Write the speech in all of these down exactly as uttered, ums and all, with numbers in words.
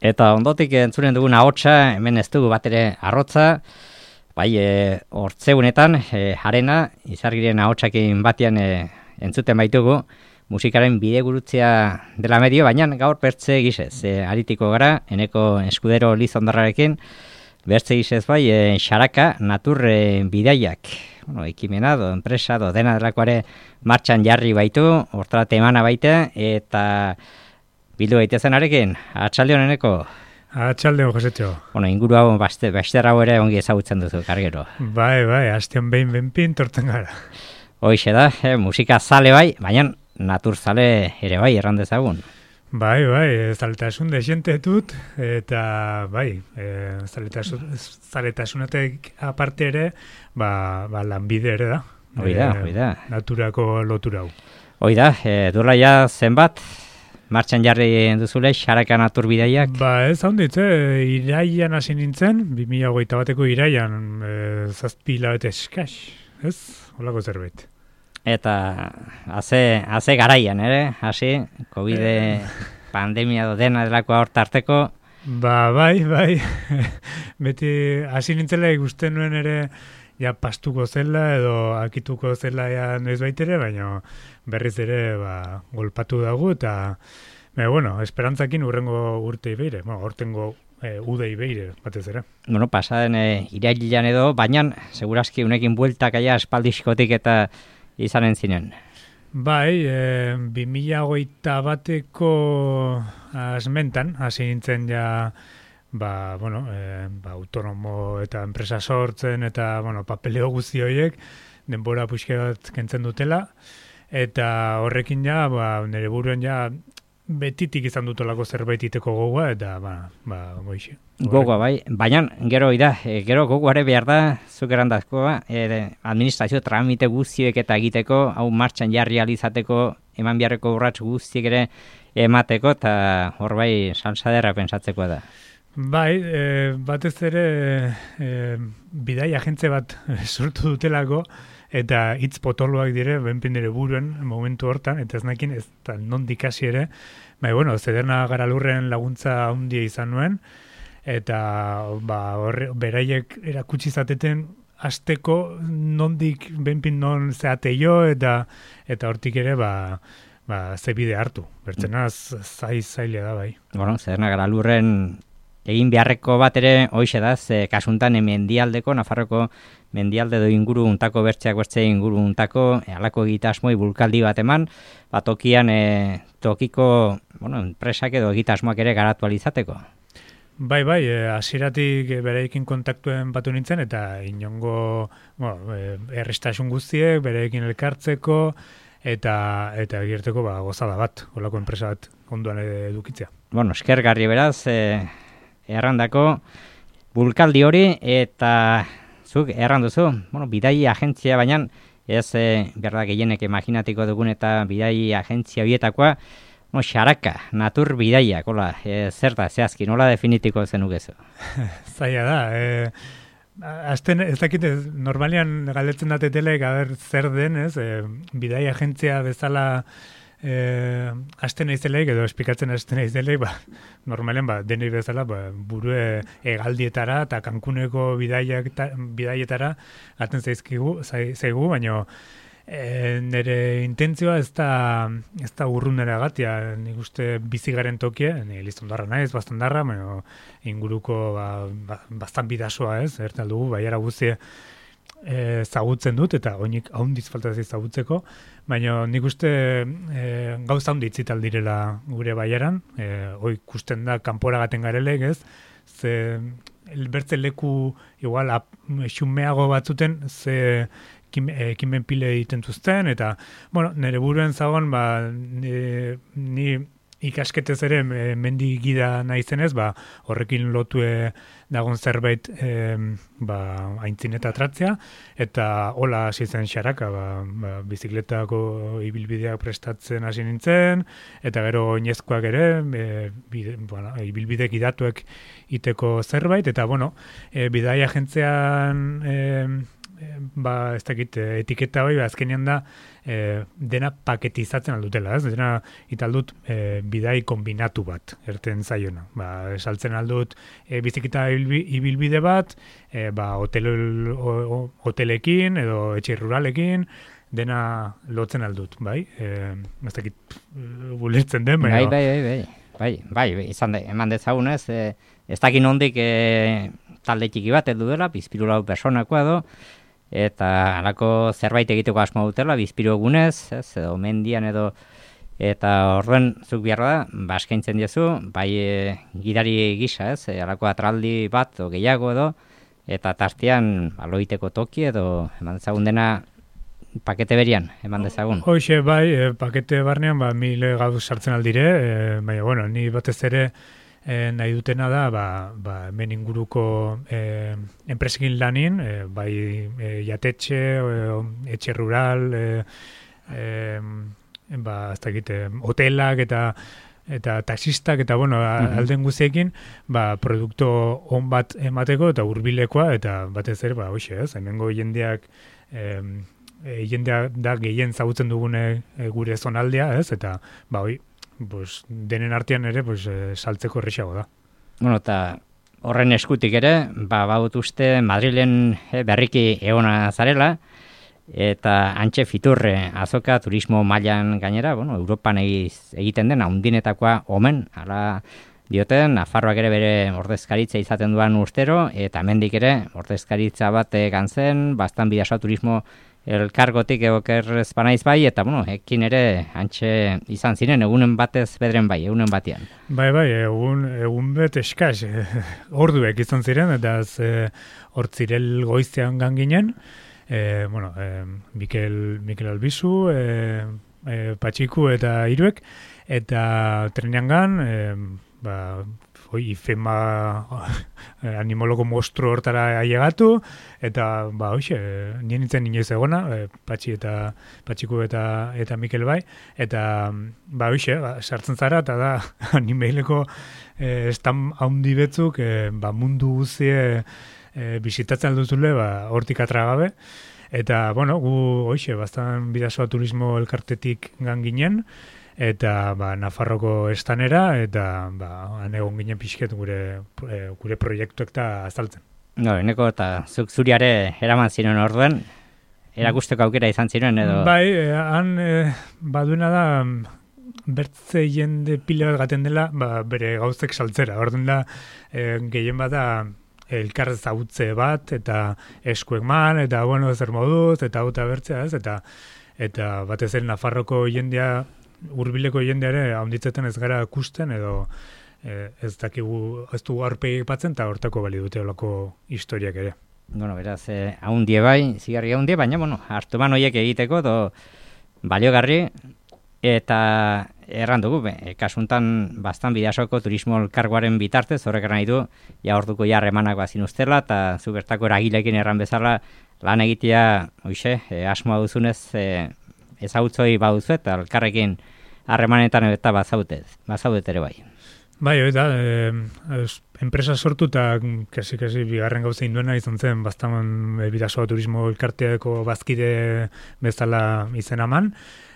Eta ondotik entzunen dugun ahotsa, hemen ez dugu bat ere arrotza, bai, e, hortzeunetan, e, harena, izargiren ahotsakin batean e, entzuten baitugu, musikaren bidegurutzea dela medio, baina gaur bertze gisez, e, aritiko gara, eneko eskudero Lizondarrarekin, bertze gisez bai, e, xaraka, natur e, bidaiak, bueno, ekimena, do, enpresa, do, dena delakoare martxan jarri baitu, hortara temana baite, eta bildu gaitezen arekin, atxalde honeneko. Atxalde hon, Josetxo. Bueno, inguru hau, baste, baster hau ere ongi ezagutzen duzu, kargero. Bai, bai, hastean behin benpin torten gara. Hoixe da, eh, musika zale bai, baina natur zale ere bai, erran dezagun. Bai, bai, zaletasun desente dut, eta bai, e, zaletasun, zaletasunetek aparte ere, ba, ba lanbide ere da. Hoi da, hoi da. Naturako lotura hau. Hoi da, e, duela ja zenbat, martxan jarri duzule, xaraka natur bidaiak? Ba, ez haunditze, iraian hasi nintzen, bi mila hogeita bateko iraian, e, zazpi hilabete eskaz, ez? Holako zerbait. Eta haze, haze garaian, ere, hasi, COVID pandemia do dena delakoa hor tarteko. Ba, bai, bai, beti hasi nintzela ikusten nuen ere, ja pastuko zela edo akituko zela ja noiz baitere, baina berriz ere ba, golpatu dago eta me, bueno, esperantzakin urrengo urtei beire, bueno, hortengo e, udei beire batez ere. Bueno, pasaden e, irailean edo, baina segurazki unekin bueltak aia espaldizkotik eta izanen zinen. Bai, e, bi mila hogeita bateko asmentan, hasi nintzen ja ba, bueno, e, ba, autonomo eta enpresa sortzen eta, bueno, papeleo guzti horiek denbora puxke bat kentzen dutela eta horrekin ja, ba, nire buruen ja betitik izan dutolako zerbait iteko gogoa eta, ba, ba, goixe. Gogoa, bai, baina gero ida, e, gero gogoare behar da, zuk erandazkoa, e, administrazio tramite guztiek eta egiteko, hau martxan jarri alizateko, eman beharreko urrats guztiek ere emateko, eta hor bai, salsaderra pensatzekoa da. Bai, e, batez ere e, bidai agentze bat sortu dutelako, eta hitz potoloak dire, benpin dire buruen momentu hortan, eta ez nakin ez da nondik hasi ere, bai, bueno, Zederna Garalurren laguntza handia izan nuen, eta ba, horre, beraiek erakutsi zateten hasteko nondik benpin non zeate jo, eta eta hortik ere, ba, ba, ze bide hartu. Bertzenaz, zai zaila da, bai. Bueno, Zederna Garalurren egin beharreko bat ere hoixe da, ze kasuntan mendialdeko, Nafarroko mendialde do inguru untako bertzeak bertze inguru untako, e, alako egitasmoi bulkaldi bat eman, bat tokian e, tokiko, bueno, enpresak edo egitasmoak ere garatu alizateko. Bai, bai, hasieratik e, bereikin kontaktuen batu nintzen, eta inongo, bueno, e, errestasun guztiek, bereikin elkartzeko, eta eta egirteko ba, gozada bat, holako enpresa bat onduan edukitzea. Bueno, eskergarri beraz, e, errandako bulkaldi hori, eta zuk erran duzu, bueno, bidai agentzia, baina ez e, berda gehienek imaginatiko dugun eta bidai agentzia bietakoa, no, xaraka, natur bidaiak, hola, e, zer da, zehazki, nola definitiko zenukezu? Zaila da, e, azten, ez dakit, normalian galdetzen datetelek, aber, zer den, ez, e, bidai agentzia bezala Eh, asten naizeleik edo esplikatzen asten naizeleik, ba, normalen ba, denei bezala ba, burue hegaldietara eta Cancuneko bidaiak ta, bidaietara aten zaizkigu, zaigu, baina e, nire intentzioa ez da, ez da urrunera gatia, nik uste bizigaren tokie, ni Lizondarra naiz, Baztandarra, baina inguruko ba, ba, bastan bidasoa ez, ertal dugu, baiara guztie E, zagutzen dut, eta oinik haundiz faltaz zagutzeko, baina nik uste e, gauza handi itzital direla gure baiaran, e, hoi ikusten da kanpora gaten garelek, ez, ze bertze leku igual xumeago batzuten, ze ekimen pile egiten zuzten, eta, bueno, nire buruen zagon, ba, ni, ni ikasketez ere mendi gida naizenez, ba, horrekin lotue dagon zerbait e, ba, aintzineta tratzea, eta hola hasi zen xaraka, ba, ba, bizikletako ibilbideak prestatzen hasi nintzen, eta gero oinezkoak ere, e, bide, bueno, ibilbide gidatuek iteko zerbait, eta bueno, e, bidai agentzean e, ba, ez dakit, etiketa bai, azkenean da, e, dena paketizatzen aldutela, ez? Dena, italdut, e, bidai kombinatu bat, erten zaiona. Ba, saltzen aldut, e, bizikita ibilbide bat, e, ba, hotel, o, hotelekin, edo etxe ruralekin, dena lotzen aldut, bai? E, ez dakit, bulertzen den, bai, bai, bai, bai, bai, bai, bai, izan da, eman dezagunez, e, ez dakin hondik e, talde txiki bat edu dela, bizpiru lau personakoa edo, eta halako zerbait egiteko asmo dutela, bizpiru egunez, ez, edo mendian edo, eta horren zuk biharra da, ba, eskaintzen diezu, bai e, gidari gisa, ez, e, halako atraldi bat, o gehiago edo, eta tartean aloiteko toki edo, eman dezagun dena, pakete berian, eman dezagun. Hoxe, bai, e, pakete barnean, ba, mile gauz sartzen aldire, e, baina, bueno, ni batez ere, E, nahi dutena da, ba, ba, hemen inguruko e, enpresekin lanin, e, bai e, jatetxe, e, etxe rural, e, e, ba, ez dakit, hotelak eta eta taxistak eta, bueno, mm-hmm. alden guztiekin, ba, produkto on bat emateko eta hurbilekoa eta batez ere, ba, hoxe, ez, hemengo jendeak, e, e, jendea da gehien zagutzen dugune e, gure zonaldea, ez, eta, ba, hoi, pues, denen artean ere pues, eh, saltzeko errexago da. Bueno, eta horren eskutik ere, ba, baut uste Madrilen eh, berriki egona zarela, eta antxe fiturre azoka turismo mailan gainera, bueno, Europan egiz, egiten den, haundinetakoa omen, hala dioten, Nafarroak ere bere ordezkaritza izaten duan urtero, eta hemendik ere ordezkaritza bat gantzen, bastan bidasoa turismo elkargotik egokerrez banaiz bai, eta bueno, ekin ere antxe izan ziren, egunen batez bedren bai, egunen batean. Bai, bai, egun, egun bet eskaz, e, orduek izan ziren, eta ez hortzirel goiztean ganginen, e, bueno, e, Mikel, Mikel Albizu, e, e, Patxiku eta Iruek, eta trenean gan, e, ba, oi, ifema animologo mostro hortara ailegatu, eta, ba, hoxe, nien nintzen inoiz egona, e, Patxi eta Patxiku eta, eta Mikel bai, eta, ba, hoxe, ba, sartzen zara, eta da, animeileko e, estan haundi betzuk, e, ba, mundu guzie e, bisitatzen alduzule, ba, hortik atragabe, eta, bueno, gu, hoxe, bastan bidasoa turismo elkartetik gan ginen, eta ba, Nafarroko estanera, eta ba, anegon ginen pixket gure, e, gure proiektuek eta azaltzen. No, eneko eta zuk zuriare eraman ziren orduen, erakusteko aukera izan ziren edo? Bai, e, han e, baduena da, bertze jende pila bat gaten dela, ba, bere gauzek saltzera. Orduan da, e, gehien bada elkar zautze bat, eta eskuek man, eta bueno, zer moduz, eta auta bertzea, ez, eta, eta batez ere Nafarroko jendea, hurbileko jendeare haunditzeten ez gara ikusten edo eh, ez dakigu ez du aurpegi batzen eta hortako bali dute olako historiak ere. Bueno, beraz, eh, haundie bai, zigarri haundie, baina, bueno, hartu ban horiek egiteko do baliogarri eta erran dugu, be, kasuntan bastan bidasoko turismo elkargoaren bitartez, horrek nahi du, ja orduko jarremanak bazin ustela, eta zu bertako eragilekin erran bezala lan egitea, oixe, eh, asmoa duzunez, eh, ezautzoi baduzu eta elkarrekin harremanetan eta bazautez, bazaudet ere bai. Bai, hori da, e, enpresa sortu eta kasi-kasi bigarren gauza induena izan zen, bastan e, bidasoa turismo elkarteako bazkide bezala izen aman,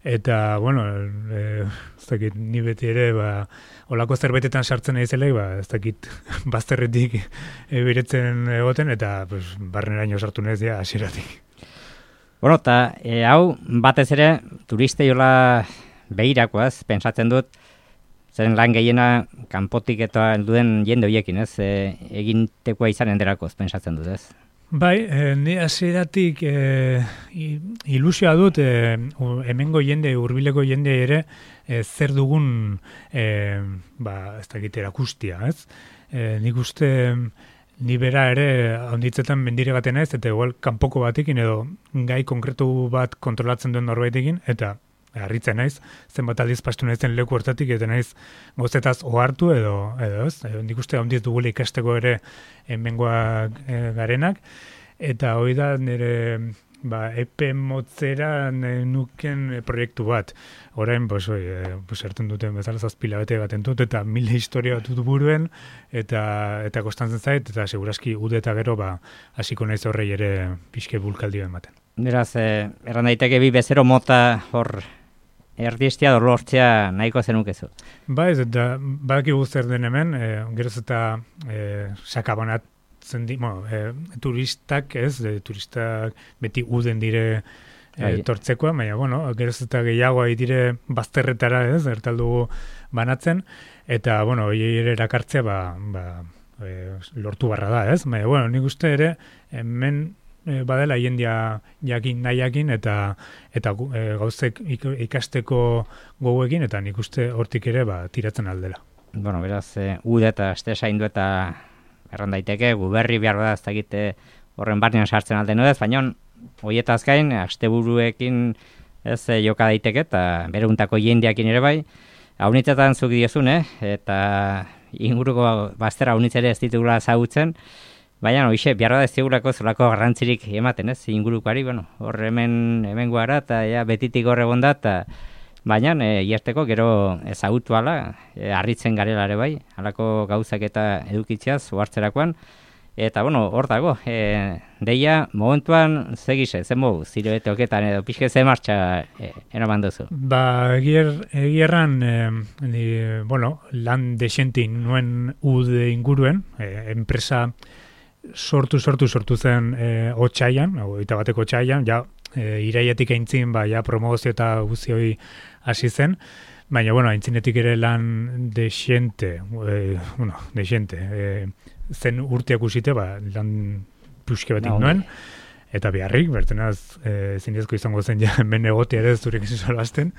eta, bueno, e, ez dakit, ni beti ere, ba, olako zerbaitetan sartzen nahi ba, ez dakit, bazterretik e, biretzen egoten, eta pues, barneraino sartu nahi zia hasieratik. Bueno, eta e, hau batez ere turistei hola behirakoaz, pentsatzen dut, zen lan gehiena kanpotik eta duen jende horiekin, ez? E, egintekoa izanen derakoz, pentsatzen dut, ez? Bai, e, ni hasieratik e, ilusioa dut, e, hemengo jende, hurbileko jende ere, e, zer dugun, e, ba, ez dakit erakustia, ez? E, nik uste... Ni bera ere handitzetan mendire baten naiz, eta igual kanpoko batekin edo gai konkretu bat kontrolatzen duen norbaitekin, eta harritzen naiz, zenbat aldiz pastu naizen leku hortatik, eta naiz gozetaz ohartu edo, edo ez, e, nik uste handiz dugule ikasteko ere hemengoak e, garenak, eta hori da nire ba, epe motzera nuken proiektu bat. Orain, bos, oi, e, bos, erten duten bezala zazpila bete baten dut, eta mila historia bat dut buruen, eta eta kostantzen zait, eta seguraski ude eta gero, ba, hasiko naiz horrei ere pixke bulkaldio ematen. Beraz, eh, erran daiteke bi bezero mota hor erdiestia dorlortzea nahiko zenukezu. Ba ez, eta badakigu zer den hemen, e, geroz eta e, sakabanatzen di, bueno, e, turistak ez, e, turistak beti uden dire e, tortzekoa, baina, bueno, geroz eta gehiagoa dire bazterretara ez, ertaldugu banatzen, eta, bueno, hori ere erakartzea, ba, ba e, lortu barra da ez, baina, bueno, nik uste ere, hemen E, badela jendia jakin nahiakin eta eta e, gauzek ikasteko gogoekin eta nik uste hortik ere ba, tiratzen aldela. Bueno, beraz, e, ude eta aste zaindu eta erran daiteke, guberri behar bada ez dakite horren barnean sartzen alde nudez, baina horietaz gain, asteburuekin ez e, joka daiteke eta bereuntako jendiakin ere bai, haunitzetan zuk diozun, eh? Eta inguruko baztera haunitzere ez ditugula zautzen, baina, hoxe, behar da ez digulako zolako garrantzirik ematen, ez, ingurukoari, bueno, hor hemen, hemen guara, eta ja, betitik hor egon da, eta baina, e, iazteko, gero ezagutu ala, e, harritzen garelare bai, halako gauzak eta edukitziaz, uhartzerakoan, eta, bueno, hor dago, e, deia, momentuan, zegize, zen mogu, zire bete oketan, edo pixke ze martxa e, eraman duzu? Ba, egier, egierran, e, ni, bueno, lan desentin nuen ude inguruen, e, enpresa, sortu, sortu, sortu zen e, otxaian, eta bateko otxaian, ja, e, iraiatik aintzin, ba, ja, promozio eta guzti hori hasi zen, baina, bueno, aintzinetik ere lan desente, e, bueno, desente, e, zen urteak usite, ba, lan puske batik no, nuen, eta beharrik, bertenaz, e, zinezko izango zen, ja, hemen egotea ere, zurek izan solazten,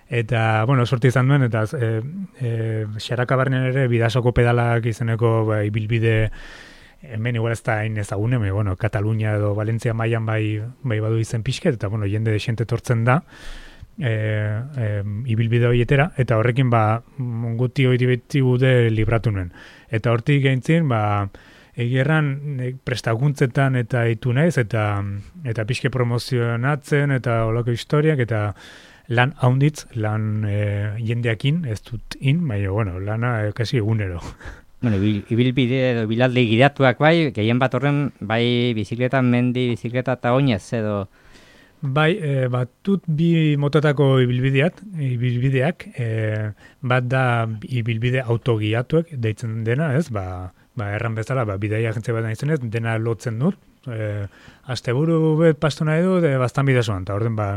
eta, bueno, sorti izan duen, eta e, e, xarakabarnen ere, bidasoko pedalak izeneko, ba, ibilbide, hemen igual ez da hain ezagune, bueno, Katalunia edo Valentzia mailan bai, bai badu izen pixket, eta bueno, jende desente tortzen da, e, e, ibilbide horietera, eta horrekin ba, guti hori beti gude libratu nuen. Eta hortik gaintzin, ba, egierran e, prestakuntzetan eta itu naiz, eta, eta pixke promozionatzen, eta olako historiak, eta lan haunditz, lan e, jendeakin, ez dut in, baina, bueno, lana e, kasi egunero. Bueno, ibilbide edo bilaldi gidatuak bai, gehien bat horren bai bizikleta, mendi, bizikleta eta oinez edo... Bai, e, batut bi motatako ibilbideak, ibilbideak e, bat da ibilbide autogiatuak deitzen dena, ez? Ba, ba erran bezala, ba, bidaia agentze bat nahi zenez, dena lotzen dut. E, asteburu bet pastu nahi du, de bastan bidezuan, eta orden ba,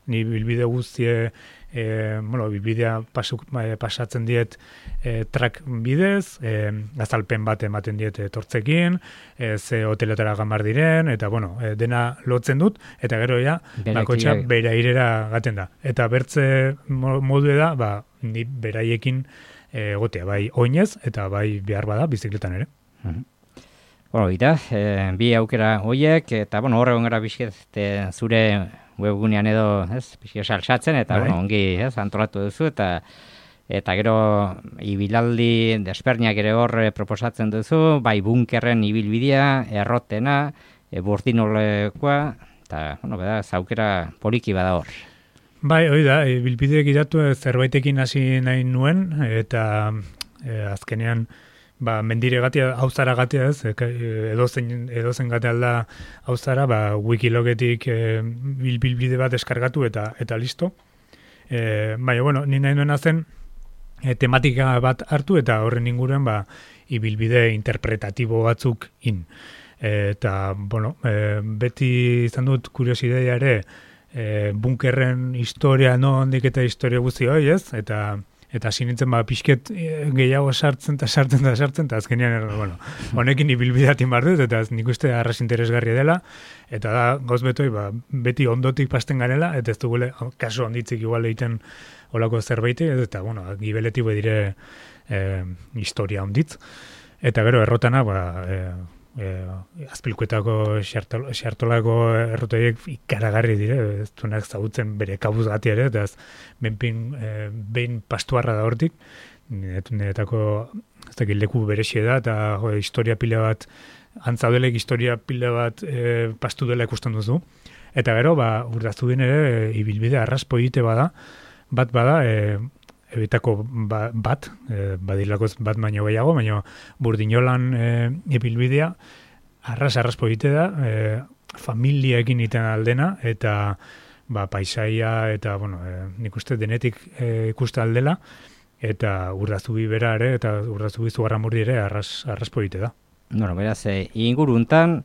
ni bilbide guztie, e, bueno, bilbidea pasu, e, pasatzen diet e, trak bidez, e, azalpen bat ematen diet tortzekin, e, ze hoteletara gambar diren, eta bueno, e, dena lotzen dut, eta gero ja, bakotxa bera irera gaten da. Eta bertze modu da, ba, ni beraiekin egotea, bai oinez, eta bai behar bada bizikletan ere. Uh-huh. Bueno, eta, e, bi aukera hoiek, eta, bueno, horregon gara bizket zure webgunean edo, ez, bizket salsatzen, eta, bai. Bueno, ongi, ez, antolatu duzu, eta eta gero ibilaldi desperniak ere hor proposatzen duzu, bai bunkerren ibilbidea, errotena, e, burdinolekoa, eta, bueno, beda, zaukera poliki bada hor. Bai, hori da, ibilbideek idatu zerbaitekin hasi nahi nuen, eta e, azkenean, ba, mendire gatia, hauzara gatia ez, edozen, edozen gatea alda hauzara, ba, wikilogetik e, bilbide bat eskargatu eta eta listo. E, baina, bueno, ni nahi nuena zen, e, tematika bat hartu eta horren inguruan, ba, ibilbide interpretatibo batzuk in. E, eta, bueno, e, beti izan dut kuriosidea ere, e, bunkerren historia, no, ondik eta historia guzti hoi, ez? Eta Eta hasi nintzen ba, pixket gehiago sartzen eta sartzen eta sartzen, eta azkenean, bueno, honekin ibilbideatin bar dut, eta nik uste arras interesgarria dela, eta da, gauz betoi, ba, beti ondotik pasten garela, eta ez dugule, kaso onditzik igual egiten olako zerbaiti, eta, bueno, gibeleti dire eh, historia onditz. Eta gero, errotana, ba, eh, eh, azpilkuetako xartolako errotoiek ikaragarri dire, ez duenak zautzen bere kabuz gati ere, eta ez benpin, eh, behin pastuarra da hortik, niretako ez dakit leku berexe da, eta jo, historia pila bat, antzaudelek historia pila bat eh, pastu dela ikusten duzu. Eta gero, ba, Urdazubin ere, ibilbide arraspo egite bada, bat bada, e, ebitako ba, bat, e, badilakoz bat baino gehiago, baina Burdinolan e, ibilbidea, arras arraspo egite da, e, familiekin iten aldena, eta ba, paisaia, eta, bueno, e, nik uste denetik e, ikuste aldela, eta Urdazubi bera ere, eta Urdazubi Zugarramurdi ere arras, arraspo egite da. Bueno, beraz, e, inguruntan,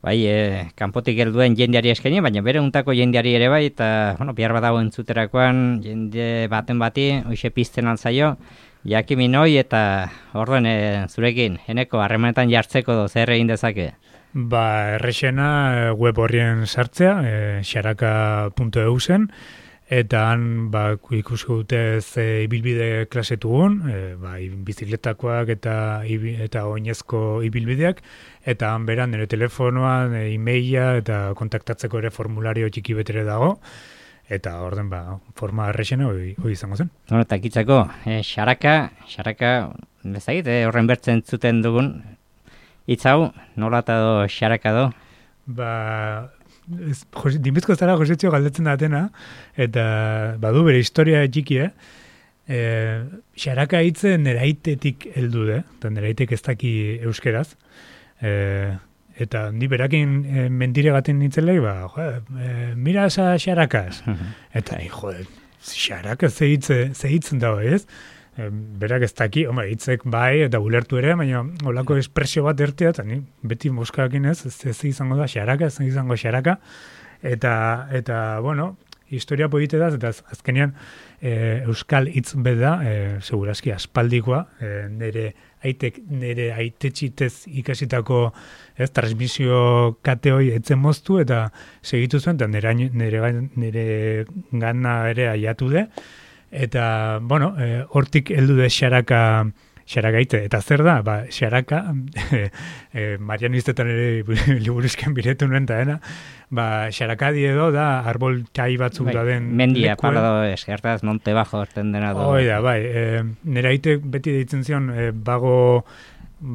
bai, e, kanpotik helduen jendeari eskaini, baina bere untako jendeari ere bai, eta, bueno, bihar badago entzuterakoan, jende baten bati, hoxe pizten altzaio, jakimin hoi, eta orduan e, zurekin, eneko, harremanetan jartzeko do, zer egin dezake? Ba, errexena web horrien sartzea, e, xaraka puntu e u zen, eta han ba, ikusko dute ze ibilbide klasetugun, e, ba, bizikletakoak eta eta oinezko ibilbideak, eta han beran nire telefonoan, e, e-maila eta kontaktatzeko ere formulario txiki betere dago, eta orden ba, forma errexena hoi, hoi izango zen. Bueno, eta kitzako, e, xaraka, xaraka, bezagit, e, horren bertzen zuten dugun, hitz hau, nola eta do xaraka do? Ba, dinbizko zara Josetxo galdetzen datena, eta badu bere historia txiki, eh? E, xaraka hitze neraitetik heldu de, eta neraitek ez daki euskeraz, e, eta ni berakin e, mendire gaten nintzelei, ba, jo, e, mira esa xarakaz, eta, jo, xaraka ze hitzen dago, ez? E, berak ez daki, hombre, hitzek bai, eta ulertu ere, baina olako espresio bat ertea, eta ni beti moskakin ez, ez, ez izango da xaraka, ez izango xaraka, eta, eta bueno, historia poite da, eta azkenean e, euskal hitz beda, e, segurazki aspaldikoa, e, nire aitek, nire aitetxitez ikasitako ez, transmisio kateoi etzen moztu, eta segitu zuen, eta nire, nire, nire gana ere aiatu de, eta, bueno, e, hortik heldu de xaraka, xaraka ite. Eta zer da? Ba, xaraka, e, e, marianistetan ere liburuzken biretu nuen da, ena, ba, xarakadi edo da, arbol txai batzuk bai, da den mendia, lekuen. parado eskertaz, monte bajo erten dena do. Hoi da, bai, e, nire aite beti deitzen zion, e, bago,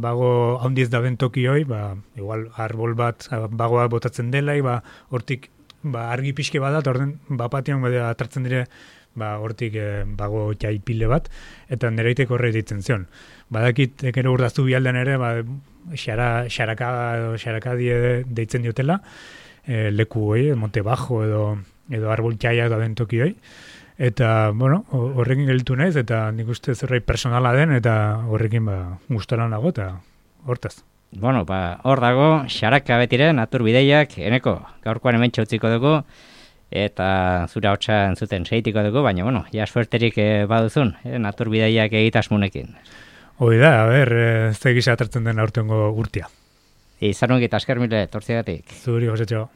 bago haundiez da den toki hoi, ba, igual, arbol bat, bagoa botatzen dela, ba, hortik, ba, argi pixke badat, orden, bapatian bada atratzen dire, ba, hortik e, bago jaipile bat, eta nereitek horre ditzen zion. Badakit, ekero Urdaztu bialdean ere, ba, xara, xaraka, xarakadi deitzen diotela, e, leku hoi, monte bajo edo, edo arbol jaia da den toki hoi, eta, bueno, horrekin gelditu naiz, eta nik uste zerbait personala den, eta horrekin, ba, gustaran nago, eta hortaz. Bueno, ba, hor dago, xaraka betire, natur bideiak, eneko, gaurkoan hemen txautziko dugu, eta zura hotza entzuten seitiko dugu, baina, bueno, ja suerterik eh, baduzun, eh, natur bideiak egitasmunekin. Hoi da, a ber, eh, ze gisa atratzen den aurtengo urtia. Izan ongit, asker mile, tortziagatik. Zuri, Josetxo.